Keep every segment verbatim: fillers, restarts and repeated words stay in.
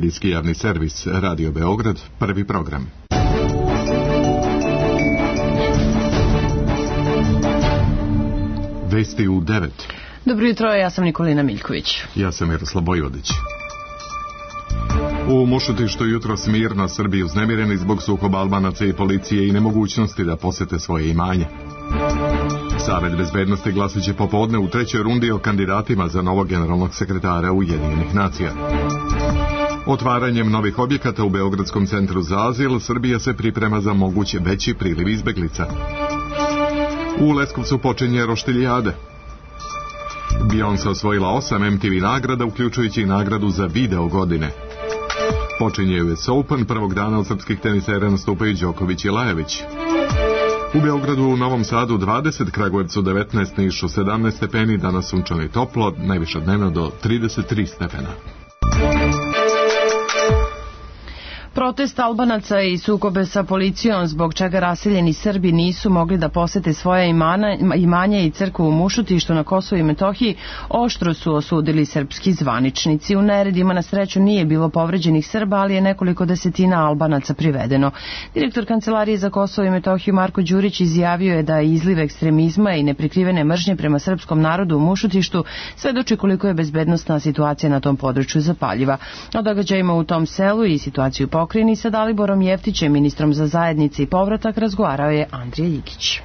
medijski javni servis Radio Beograd, prvi program. Vesti u devet. Dobro jutro, ja sam Nikolina Miljković. Ja sam Miroslav Bojvodić. U Mušutištu jutros mirno Srbi uznemireni zbog sukoba Albanaca i policije i nemogućnosti da posete svoje imanje. Savet bezbednosti glasit će popodne u trećoj rundi o kandidatima za novog generalnog sekretara Ujedinjenih nacija. Otvaranjem novih objekata u Beogradskom centru za azil, Srbija se priprema za moguće veći priliv izbeglica. U Leskovcu počinje roštiljade. Beyoncé osvojila osam M T V nagrada, uključujući i nagradu za video godine. Počinje U S Open, prvog dana od srpskih tenisera nastupaju Đoković i Lajević. U Beogradu, u Novom Sadu dvadeset, Kragujevcu devetnaest, Nišu sedamnaest stepeni, danas sunčano i toplo, najviše dnevno do trideset tri stepena. Protest Albanaca i sukobe sa policijom, zbog čega raseljeni Srbi nisu mogli da posete svoje imana, imanje i crkvu u Mušutištu na Kosovu i Metohiji, oštro su osudili srpski zvaničnici. U neredima na sreću nije bilo povređenih Srba, ali je nekoliko desetina Albanaca privedeno. Direktor Kancelarije za Kosovo i Metohiju Marko Đurić izjavio je da je izliv ekstremizma i neprikrivene mržnje prema srpskom narodu u Mušutištu svedoči koliko je bezbednosna situacija na tom području zapaljiva. O događajima u tom selu i situaciju pokrajini sa Daliborom Jeftićem, ministrom za zajednice i povratak, razgovarao je Andrija Jikić.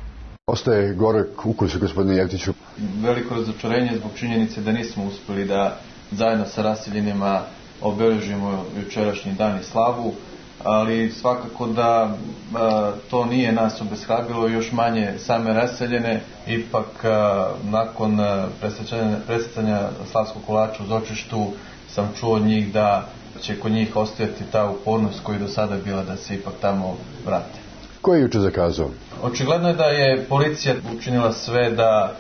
Ostaje gorak ukus, gospodine Jeftiću. Veliko razočarenje zbog činjenice da nismo uspeli da zajedno sa raseljenima obeležimo jučerašnji dan i slavu, ali svakako da a, to nije nas obeshrabilo, još manje same raseljene. Ipak a, nakon presretanja slavskog kolača u Zočištu sam čuo od njih da će kod njih ostajati ta upornost koja je do sada bila da se ipak tamo vrate. Ko je juče zakazao? Očigledno je da je policija učinila sve da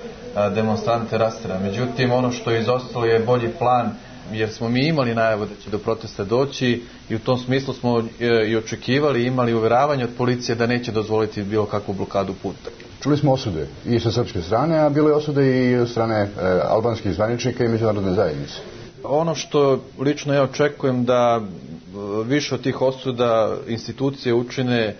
demonstrante rastera. Međutim, ono što je izostalo je bolji plan, jer smo mi imali najavu da će do protesta doći i u tom smislu smo i očekivali, imali uveravanje od policije da neće dozvoliti bilo kakvu blokadu puta. Čuli smo osude i sa srpske strane, a bilo je osude i od strane e, albanskih zvaničnika i međunarodne zajednice. Ono što lično ja očekujem da više od tih osuda institucije učine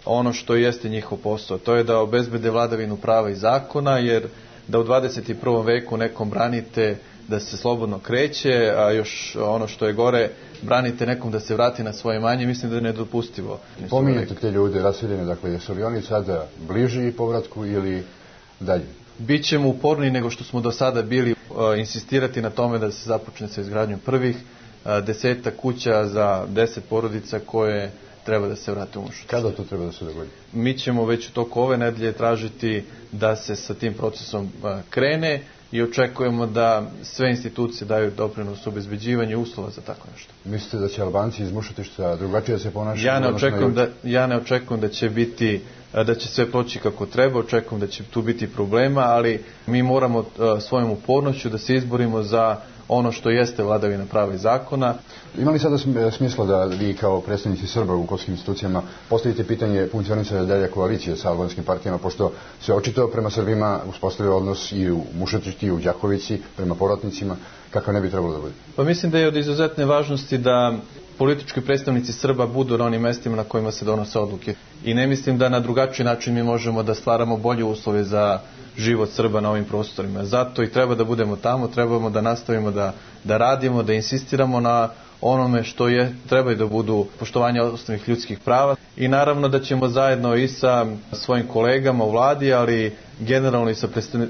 ono što jeste njihov posao. To je da obezbede vladavinu prava i zakona, jer da u dvadeset prvom veku nekom branite da se slobodno kreće, a još ono što je gore, branite nekom da se vrati na svoje imanje, mislim da je nedopustivo. Pominjate te ljude raseljene, dakle, jesu li oni sada bliži povratku ili dalje? Bićemo uporniji nego što smo do sada bili, insistirati na tome da se započne sa izgradnjom prvih deseta kuća za deset porodica koje treba da se vrate u Mušutištu. Kada to treba da se dogodi? Mi ćemo već u toku ove nedelje tražiti da se sa tim procesom krene i očekujemo da sve institucije daju doprinos u obezbeđivanju uslova za tako nešto. Mislite da će Albanci iz Mušutišta drugačije se ponašati? Ja ne očekujem da, ja ne očekujem da će biti da će sve proći kako treba, očekujem da će tu biti problema, ali mi moramo svojom upornošću da se izborimo za ono što jeste vladavina prava i zakona. Ima li sada smisla da vi kao predstavnici Srba u kosovskim institucijama postavite pitanje funkcionisanja dalje koalicije sa albanskim partijama, pošto se očito prema Srbima uspostavio odnos i u Mušutištu i u Đakovici prema povratnicima, kakav ne bi trebalo da bude? Pa mislim da je od izuzetne važnosti da politički predstavnici Srba budu na onim mestima na kojima se donose odluke. I ne mislim da na drugačiji način mi možemo da stvaramo bolje uslove za život Srba na ovim prostorima. Zato i treba da budemo tamo, trebamo da nastavimo da, da radimo, da insistiramo na onome što je, treba da budu poštovanje osnovnih ljudskih prava. I naravno da ćemo zajedno i sa svojim kolegama u vladi, ali generalno i sa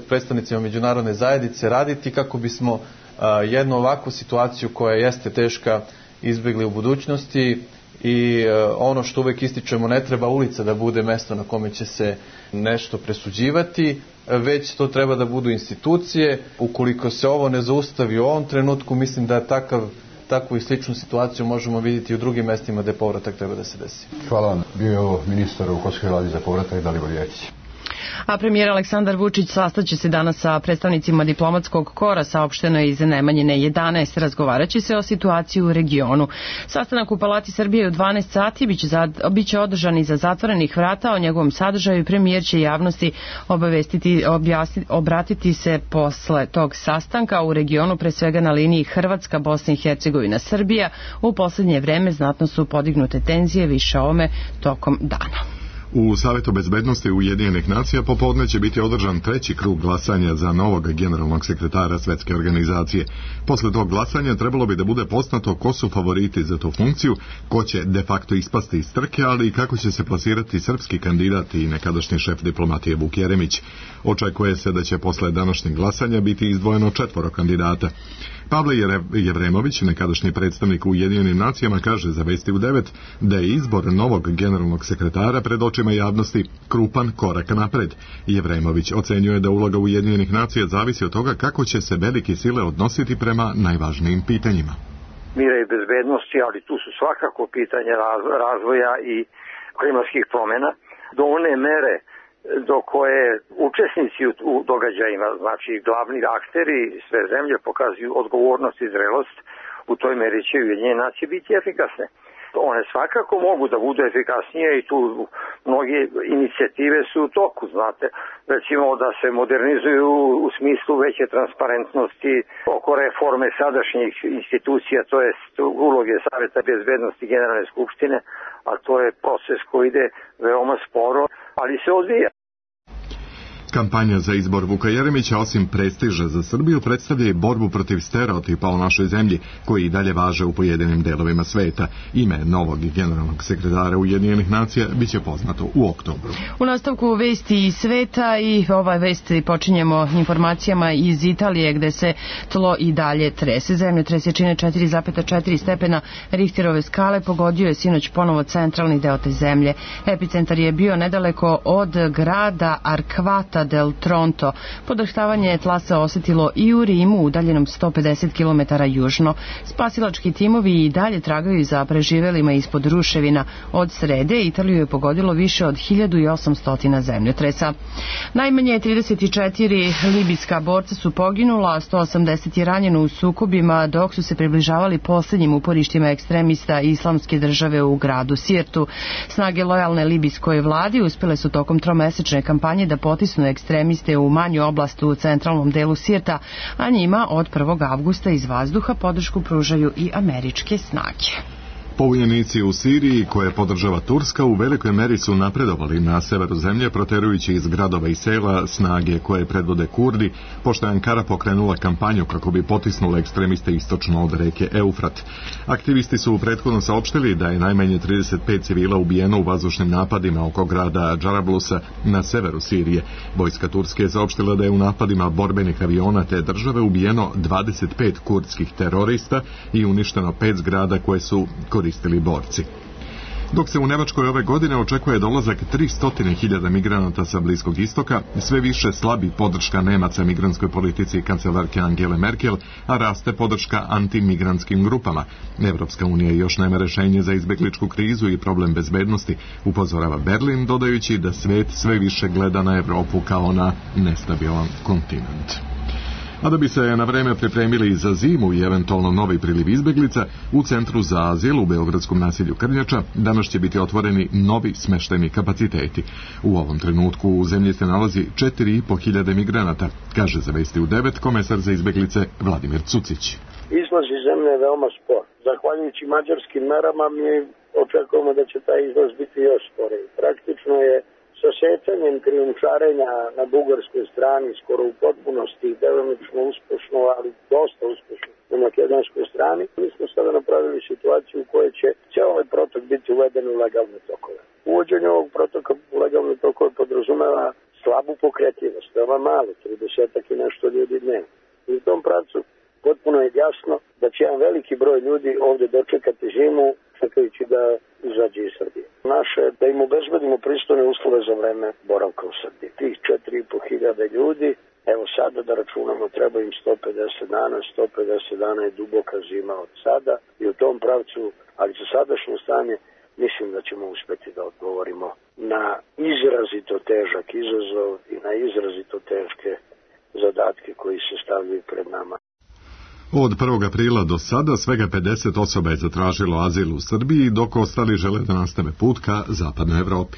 predstavnicima međunarodne zajednice raditi kako bismo a, jednu ovakvu situaciju koja jeste teška izbjegli u budućnosti. I ono što uvek ističemo, ne treba ulica da bude mesto na kome će se nešto presuđivati, već to treba da budu institucije. Ukoliko se ovo ne zaustavi u ovom trenutku, mislim da takav, takvu i sličnu situaciju možemo vidjeti i u drugim mestima gde povratak treba da se desi. Hvala vam. Bio je ovo ministar u Kosovskoj vladi za povratak Dalibor Jeftić. A premijer Aleksandar Vučić sastaće se danas sa predstavnicima diplomatskog kora, saopšteno je iz Nemanjine jedanaest. Razgovaraće se o situaciji u regionu. Sastanak u Palati Srbije u dvanaest sati biće, za, biće održan iza zatvorenih vrata. O njegovom sadržaju premijer će javnosti obavestiti, objasniti, obratiti se posle tog sastanka. U regionu, pre svega na liniji Hrvatska, Bosna i Hercegovina, Srbija, u poslednje vreme znatno su podignute tenzije, više o ome tokom dana. U Savetu bezbednosti Ujedinjenih nacija popodne će biti održan treći krug glasanja za novog generalnog sekretara Svetske organizacije. Posle tog glasanja trebalo bi da bude poznato ko su favoriti za tu funkciju, ko će de facto ispasti iz trke, ali i kako će se plasirati srpski kandidat i nekadašnji šef diplomatije Vuk Jeremić. Očekuje se da će posle današnjeg glasanja biti izdvojeno četvoro kandidata. Pavle Jevremović, nekadašnji predstavnik u Ujedinjenim nacijama, kaže za Vesti u devet da je izbor novog generalnog sekretara pred očima javnosti krupan korak napred. Jevremović ocenjuje da uloga Ujedinjenih nacija zavisi od toga kako će se velike sile odnositi prema najvažnijim pitanjima. Mira i bezbednosti, ali tu su svakako pitanje razvoja i klimatskih promjena do one mere do koje učesnici u događajima, znači glavni akteri sve zemlje pokazuju odgovornost i zrelost, u toj meri će Ujedinjene nacije biti efikasne. One svakako mogu da budu efikasnije i tu mnoge inicijative su u toku, znate, recimo da se modernizuju u smislu veće transparentnosti oko reforme sadašnjih institucija, to je uloge Saveta bezbednosti Generalne skupštine, a to je proces koji ide veoma sporo, ali se odvija. Kampanja za izbor Vuka Jeremića, osim prestiža za Srbiju, predstavlja i borbu protiv stereotipa o našoj zemlji, koji i dalje važe u pojedinim delovima sveta. Ime novog generalnog sekretara Ujedinjenih nacija biće poznato u oktobru. U nastavku vesti iz sveta i ova vesti počinjemo informacijama iz Italije, gde se tlo i dalje trese. Zemljotres jačine četiri zarez četiri stepena Richterove skale pogodio je sinoć ponovo centralni deo te zemlje. Epicentar je bio nedaleko od grada Arquata del Tronto. Podrhtavanje tla se osetilo i u Rimu, udaljenom sto pedeset kilometara južno. Spasilački timovi i dalje tragaju za preživelima ispod ruševina. Od srede Italiju je pogodilo više od hiljadu osamsto zemljotresa. Najmanje trideset četiri libijska borca su poginula, a sto osamdeset je ranjeno u sukobima dok su se približavali posljednjim uporištima ekstremista Islamske države u gradu Sirtu. Snage lojalne libijskoj vladi uspjele su tokom tromesečne kampanje da potisnu ekstremiste u manju oblast u centralnom delu Sirta, a njima od prvog avgusta iz vazduha podršku pružaju i američke snage. Pobunjenici u Siriji, koje podržava Turska, u velikoj meri su napredovali na severu zemlje, proterujući iz gradova i sela snage koje predvode Kurdi, pošto je Ankara pokrenula kampanju kako bi potisnula ekstremiste istočno od reke Eufrat. Aktivisti su prethodno saopštili da je najmanje trideset pet civila ubijeno u vazdušnim napadima oko grada Džarablusa na severu Sirije. Vojska Turske je saopštila da je u napadima borbenih aviona te države ubijeno dvadeset pet kurdskih terorista i uništeno pet zgrada koje su koristili borci. Dok se u Nemačkoj ove godine očekuje dolazak tristo hiljada migranata sa Bliskog istoka, sve više slabi podrška Nemaca migrantskoj politici kancelarke Angele Merkel, a raste podrška antimigrantskim grupama. Evropska unija još nema rešenje za izbegličku krizu i problem bezbednosti, upozorava Berlin, dodajući da svet sve više gleda na Evropu kao na nestabilan kontinent. A da bi se na vreme pripremili za zimu i eventualno novi priliv izbeglica, u Centru za azil u beogradskom naselju Krnjača danas će biti otvoreni novi smeštajni kapaciteti. U ovom trenutku u zemlji se nalazi četiri i po hiljade migranata, kaže za Vesti u devet komesar za izbeglice Vladimir Cucić. Izlaz iz zemlje je veoma spor. Zahvaljujući mađarskim merama mi očekujemo da će taj izlaz biti još sporiji. Praktično je sa secanjem krijumčarenja na bugarskoj strani skoro u potpunosti, delimično uspešno, ali dosta uspešno na makedonskoj strani. Mi smo sada napravili situaciju u kojoj će cijel ovaj protok biti uveden u legalne tokove. Uvođenje ovog protoka u legalne tokove podrazumeva slabu pokretljivost, veoma malo, tridesetak i nešto ljudi dnevno. I u tom pravcu potpuno je jasno da će jedan veliki broj ljudi ovdje dočekati zimu, čekajući da izađe iz Srbije. Naše da im obezbedimo pristojne uslove za vreme boravka u Srbiji. Tih četiri i po hiljade ljudi, evo sada da računamo, treba im sto pedeset dana, sto pedeset dana je duboka zima od sada i u tom pravcu, ali za sadašnje stanje mislim da ćemo uspeti da odgovorimo na izrazito težak izazov i na izrazito teške zadatke koji se stavljaju pred nama. Od prvog aprila do sada svega pedeset osoba je zatražilo azil u Srbiji, dok ostali žele da nastave put ka zapadnoj Evropi.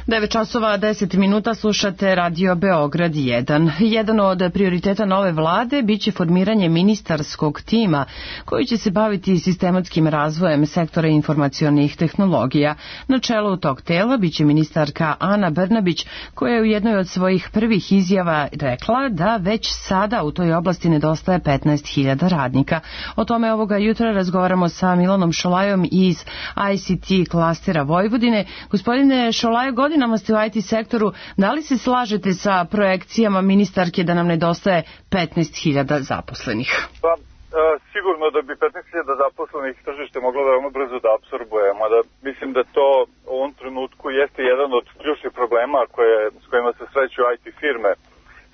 devet časova deset minuta, slušate Radio Beograd jedan. Jedan od prioriteta nove vlade biće formiranje ministarskog tima koji će se baviti sistematskim razvojem sektora informacionih tehnologija. Na čelu tog tela biće ministarka Ana Brnabić, koja je u jednoj od svojih prvih izjava rekla da već sada u toj oblasti nedostaje petnaest hiljada radnika. O tome ovoga jutra razgovaramo sa Milanom Šolajom iz I C T klastera Vojvodine. Gospodine Šolajo, godinama ste u I T sektoru, da li se slažete sa projekcijama ministarke da nam nedostaje petnaest hiljada zaposlenih? Pa, e, sigurno da bi petnaest hiljada zaposlenih tržište moglo veoma brzo da apsorbuje, mada mislim da to u ovom trenutku jeste jedan od ključnih problema koje, s kojima se sreću I T firme.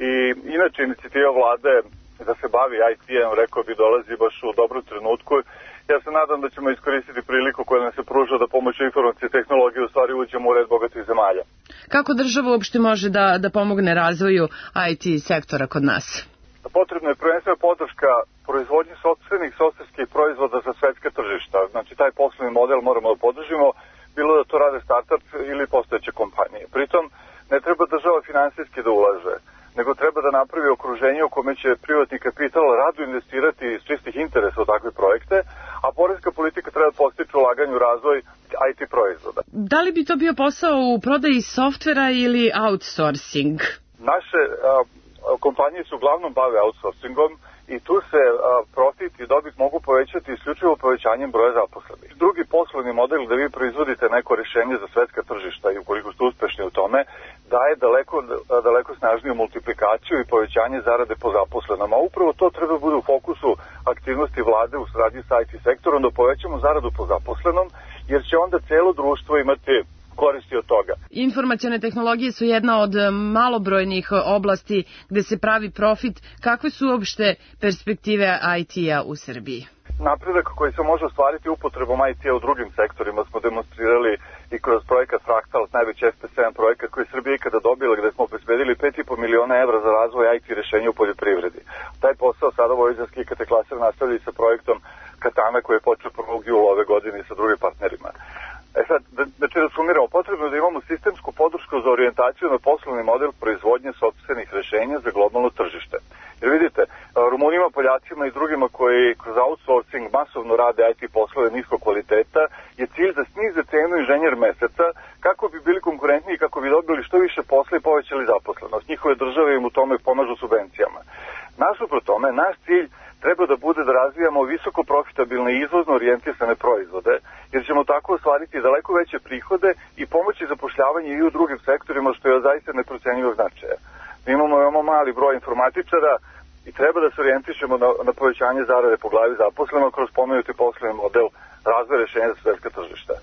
I inače inicijativa vlade da se bavi I T-em, rekao bi, dolazi baš u dobru trenutku. Ja se nadam da ćemo iskoristiti priliku koja nam se pruža da pomoću informacije i tehnologije u stvari uđemo u red bogatih zemalja. Kako država uopšte može da, da pomogne razvoju I T sektora kod nas? Potrebna je prvenstveno podrška proizvodnji sopstvenih softverskih proizvoda za svetska tržišta. Znači taj poslovni model moramo da podržimo, bilo da to rade startup ili postojeće kompanije. Pritom ne treba država finansijski da ulaže, nego treba da napravi okruženje u kome će privatni kapital rado investirati iz čistih interesa u takve projekte, a poreska politika treba da postiče ulaganje u razvoj I T proizvoda. Da li bi to bio posao u prodaji softvera ili outsourcing? Naše a, kompanije se uglavnom bave outsourcingom i tu se a, profit i dobit mogu povećati isključivo povećanjem broja zaposlenih. Drugi poslovni model da vi proizvodite neko rješenje za svetska tržišta i ukoliko ste uspešni u tome, daje daleko, daleko snažniju multiplikaciju i povećanje zarade po zaposlenom. A upravo to treba bude u fokusu aktivnosti vlade u saradnji sa I T sektorom, da povećamo zaradu po zaposlenom, jer će onda celo društvo imati koristi od toga. Informacione tehnologije su jedna od malobrojnih oblasti gde se pravi profit. Kakve su uopšte perspektive I T-a u Srbiji? Napredak koji se može ostvariti upotrebom I T-a u drugim sektorima smo demonstrirali i kroz projekat Fractal, najveći F P sedam projekat koji Srbija ikada dobila, gde smo obezbedili pet i po miliona evra za razvoj I T rešenja u poljoprivredi. Taj posao sada vojvođanski I K T klaster nastavlja sa projektom Katana koji je počeo prvog jula ove godine sa drugim partnerima. E sad, znači da sumiramo, potrebno da imamo sistemsku podršku za orijentaciju na poslovni model proizvodnje sopstvenih rešenja za globalno tržište. Jer vidite, Rumunima, Poljacima i drugima koji kroz outsourcing masovno rade I T poslove niskog kvaliteta je cilj da snize cenu inženjer meseca kako bi bili konkurentni i kako bi dobili što više posla i povećali zaposlenost. Njihove države im u tome pomažu subvencijama. Nasuprot tome, naš cilj treba da bude da razvijamo visoko profitabilne i izvozno orijentisane proizvode, jer ćemo tako ostvariti daleko veće prihode i pomoći zapošljavanje i u drugim sektorima, što je zaista neprocenjivog značaja. Mi imamo veoma mali broj informatičara i treba da se orijentišemo na, na povećanje zarade po glavi zaposlenog kroz pomenuti poslovni model razvoja rešenja za svetska tržišta.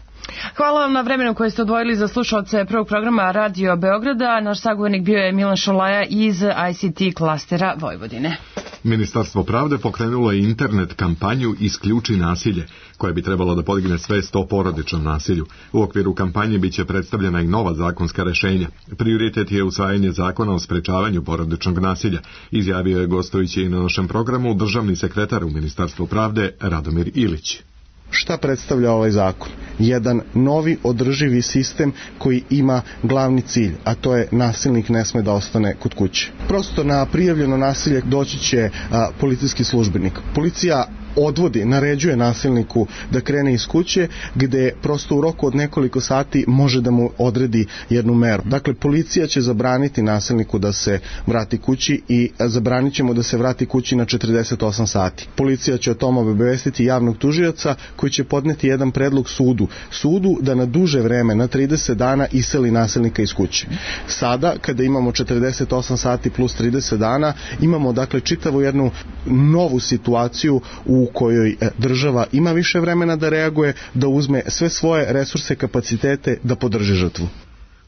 Hvala vam na vremenu koje ste odvojili za slušalce prvog programa Radio Beograda. Naš sagovornik bio je Milan Šolaja iz I C T klastera Vojvodine. Ministarstvo pravde pokrenulo je internet kampanju Isključi nasilje, koja bi trebalo da podigne svest o porodičnom nasilju. U okviru kampanje biće predstavljena i nova zakonska rešenja. Prioritet je usvajanje zakona o sprečavanju porodičnog nasilja, izjavio je gostujući i na našem programu državni sekretar u Ministarstvu pravde Radomir Ilić. Šta predstavlja ovaj zakon? Jedan novi održivi sistem koji ima glavni cilj, a to je nasilnik ne sme da ostane kod kuće. Prosto na prijavljeno nasilje doći će a, policijski službenik. Policija odvodi, naređuje nasilniku da krene iz kuće, gde prosto u roku od nekoliko sati može da mu odredi jednu meru. Dakle, policija će zabraniti nasilniku da se vrati kući i zabranit će mu da se vrati kući na četrdeset osam sati. Policija će o tom obavestiti javnog tužioca koji će podneti jedan predlog sudu. Sudu da na duže vreme, na trideset dana, iseli nasilnika iz kuće. Sada, kada imamo četrdeset osam sati plus trideset dana, imamo dakle čitavu jednu novu situaciju u kojoj država ima više vremena da reaguje, da uzme sve svoje resurse, kapacitete da podrži žrtvu.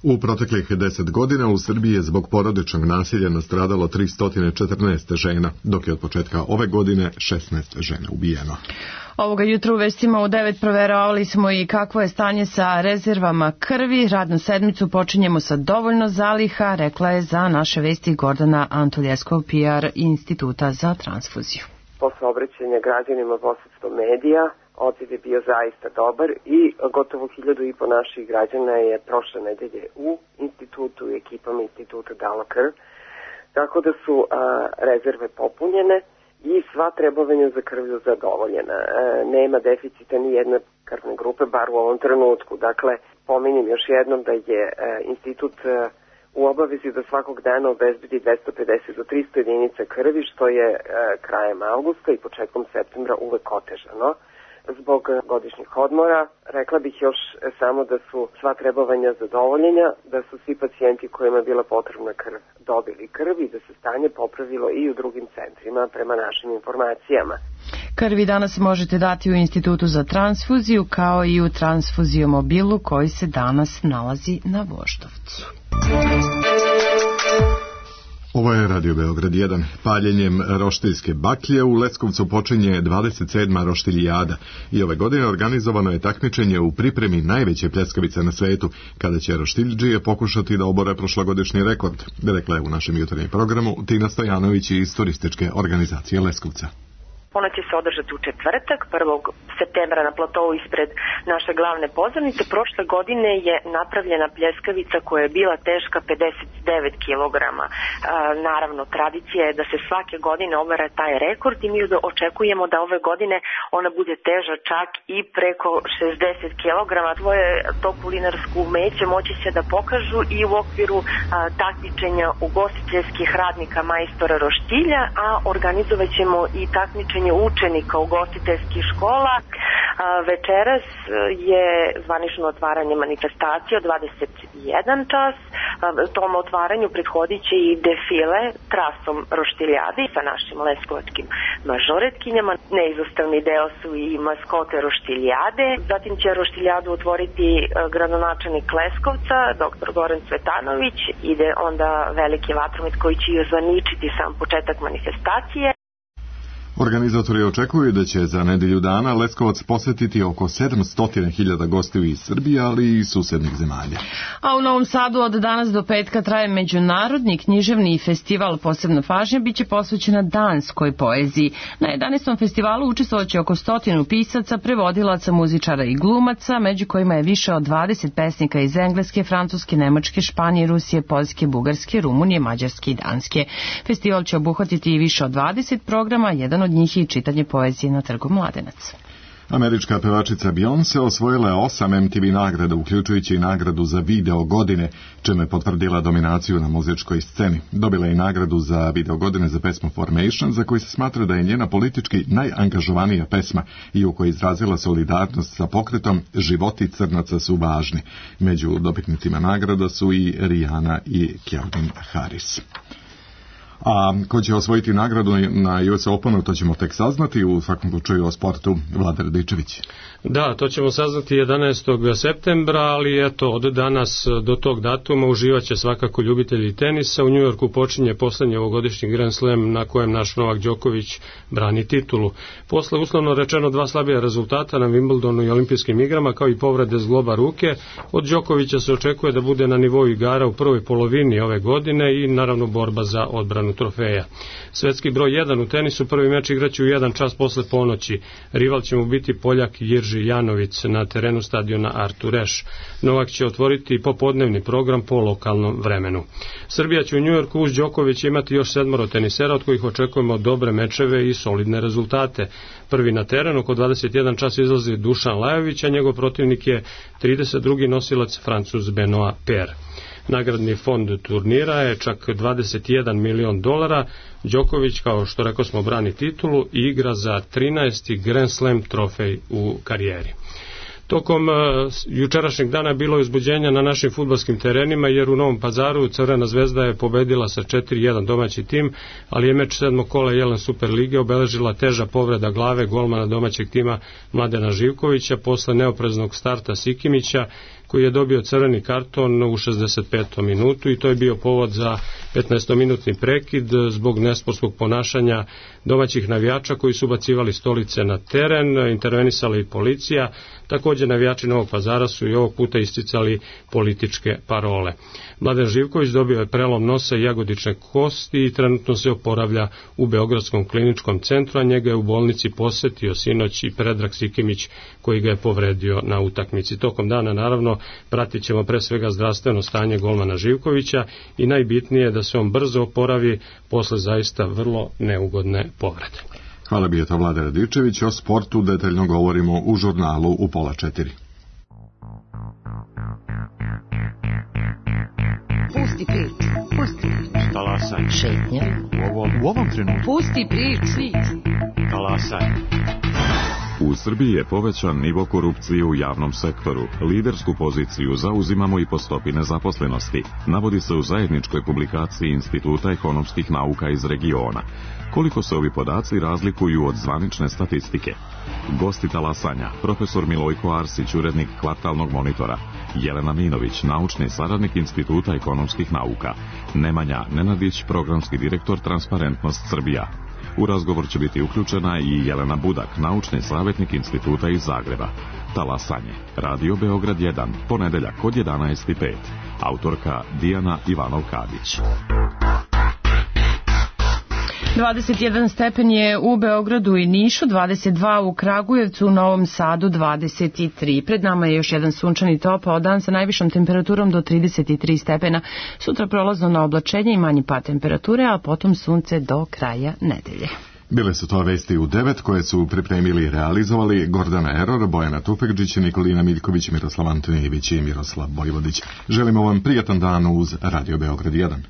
U proteklih deset godina u Srbiji je zbog porodičnog nasilja nastradalo tristo četrnaest žena, dok je od početka ove godine šesnaest žena ubijeno. Ovoga jutra u vestima u devet proveravali smo i kakvo je stanje sa rezervama krvi. Radnu sedmicu počinjemo sa dovoljno zaliha, rekla je za naše vesti Gordana Antoljeskov, P R Instituta za transfuziju. Posle obraćanja građanima posredstvom medija, odziv je bio zaista dobar i gotovo hiljadu i po naših građana je prošle nedelje u institutu i ekipama instituta dalo krv, tako da su a, rezerve popunjene i sva trebovanja za krvlju zadovoljena. E, nema deficita ni jedne krvne grupe, bar u ovom trenutku. Dakle, pominjem još jednom da je e, institut e, u obavezi da svakog dana obezbedi dvesta pedeset do trista jedinica krvi, što je e, krajem avgusta i početkom septembra uvek otežano. Zbog godišnjih odmora, rekla bih još samo da su sva trebovanja zadovoljenja, da su svi pacijenti kojima je bila potrebna krv dobili krv i da se stanje popravilo i u drugim centrima prema našim informacijama. Krvi danas možete dati u Institutu za transfuziju kao i u transfuziomobilu koji se danas nalazi na Voždovcu. Ovo je Radio Beograd jedan. Paljenjem roštiljske baklje u Leskovcu počinje dvadeset sedma roštiljada i ove godine organizovano je takmičenje u pripremi najveće pljeskavice na svetu, kada će roštiljđije pokušati da obore prošlogodišnji rekord, rekla je u našem jutarnjem programu Tina Stojanović iz turističke organizacije Leskovca. Ona će se održati u četvrtak, prvog septembra na platovu ispred naše glavne pozornice. Prošle godine je napravljena pljeskavica koja je bila teška pedeset devet kilograma. E, naravno, tradicija je da se svake godine obara taj rekord i mi očekujemo da ove godine ona bude teža čak i preko šezdeset kilograma. Tvoje to kulinarsko umeće moći će da pokažu i u okviru a, takmičenja ugostiteljskih radnika majstora roštilja, a organizovat ćemo i takmičenje učenika ugostiteljskih škola. Večeras je zvanično otvaranje manifestacije od dvadeset jedan čas. Tom otvaranju prethodit će i defile trasom roštiljade sa našim leskovačkim mažoretkinjama. Neizostavni deo su i maskote roštiljade. Zatim će roštiljadu otvoriti gradonačelnik Leskovca, doktor Goran Cvetanović. Ide onda veliki vatromet koji će i ozvaničiti sam početak manifestacije. Organizatori očekuju da će za nedelju dana Leskovac posjetiti oko sedamsto hiljada gostiju iz Srbije, ali i susednih zemalja. A u Novom Sadu od danas do petka traje međunarodni književni festival. Posebna pažnja biće posvećena danskoj poeziji. Na jedanaestom festivalu učestvovaće oko stotinu pisaca, prevodilaca, muzičara i glumaca, među kojima je više od dvadeset pesnika iz Engleske, Francuske, Nemačke, Španije, Rusije, Poljske, Bugarske, Rumunije, Mađarske i Danske. Festival će obuhvatiti i više od dvadeset programa, jedan od njih i čitanje poezije na Trgu Mladenac. Američka pevačica Beyoncé osvojila je osam M T V nagrada, uključujući i nagradu za video godine, čime je potvrdila dominaciju na muzičkoj sceni. Dobila je i nagradu za video godine za pesmu Formation, za koju se smatra da je njena politički najangažovanija pesma i u kojoj izrazila solidarnost sa pokretom Životi crnaca su važni. Među dobitnicima nagrada su i Rihanna i Calvin Harris. A ko će osvojiti nagradu na U S Openu, to ćemo tek saznati. U svakom slučaju o sportu Vlada Radičević. Da, to ćemo saznati jedanaestog septembra, ali eto, od danas do tog datuma uživaće svakako ljubitelji tenisa. U Njujorku počinje poslednji ovogodišnji Grand Slam na kojem naš Novak Đoković brani titulu. Posle uslovno rečeno dva slabija rezultata na Wimbledonu i olimpijskim igrama, kao i povrede zgloba ruke, od Đokovića se očekuje da bude na nivou igara u prvoj polovini ove godine i naravno borba za odbranu trofeja. Svetski broj jedan u tenisu prvi meč igraće u jedan čas posle ponoći. Rival će mu biti Poljak Jirži Janović na terenu stadiona Artur Ashe. Novak će otvoriti popodnevni program po lokalnom vremenu. Srbija će u Njujorku uz Đokovića imati još sedmoro tenisera, od kojih očekujemo dobre mečeve i solidne rezultate. Prvi na terenu oko dvadeset jedan čas izlazi Dušan Lajović, a njegov protivnik je trideset drugi nosilac Francuz Benoit Paire. Nagradni fond turnira je čak dvadeset jedan milion dolara. Đoković, kao što rekao smo, brani titulu i igra za trinaesti Grand Slam trofej u karijeri. Tokom uh, jučerašnjeg dana bilo je uzbuđenja na našim fudbalskim terenima, jer u Novom Pazaru Crvena zvezda je pobedila sa četiri jedan domaći tim, ali je meč sedmog kola Jelen Super lige obeležila teža povreda glave golmana domaćeg tima Mladena Živkovića posle neopreznog starta Sikimića, koji je dobio crveni karton u šezdeset petom minutu i to je bio povod za petnaestominutni prekid zbog nesportskog ponašanja domaćih navijača koji su bacivali stolice na teren, intervenisala i policija. Također navijači Novog Pazara su i ovog puta isticali političke parole. Mladen Živković dobio je prelom nosa i jagodične kosti i trenutno se oporavlja u Beogradskom kliničkom centru, a njega je u bolnici posetio sinoć i Predrag Sikimić koji ga je povredio na utakmici. Tokom dana naravno pratit ćemo pre svega zdravstveno stanje golmana Živkovića i najbitnije je da se on brzo oporavi posle zaista vrlo neugodne povrede. Hvala bi je to Vlada Radičević. O sportu detaljno govorimo u žurnalu u pola četiri. Pusti priču, pusti priču. Talasaj. Šetnja. U ovom, u ovom trenutku. Pusti priču. Talasaj. U Srbiji je povećan nivo korupcije u javnom sektoru. Lidersku poziciju zauzimamo i po stopi nezaposlenosti, navodi se u zajedničkoj publikaciji Instituta ekonomskih nauka iz regiona. Koliko se ovi podaci razlikuju od zvanične statistike? Gosti talasanja, profesor Milojko Arsić, urednik Kvartalnog monitora, Jelena Minović, naučni saradnik Instituta ekonomskih nauka, Nemanja Nenadić, programski direktor Transparentnost Srbija. U razgovor će biti uključena i Jelena Budak, naučni savjetnik Instituta iz Zagreba. Talasanje, Radio Beograd jedan, ponedeljak od jedanaest i pet. Autorka Dijana Ivanov-Kadić. dvadeset jedan stepen je u Beogradu i Nišu, dvadeset dva u Kragujevcu, u Novom Sadu dvadeset tri. Pred nama je još jedan sunčani topao dan sa najvišom temperaturom do trideset tri stepena. Sutra prolazno na oblačenje i manji pad temperature, a potom sunce do kraja nedelje. Bile su to vesti u devet koje su pripremili i realizovali Gordana Eror, Bojana Tufekđić, Nikolina Miljković, Miroslav Antonijević i Miroslav Bojvodić. Želimo vam prijatan dan uz Radio Beograd jedan.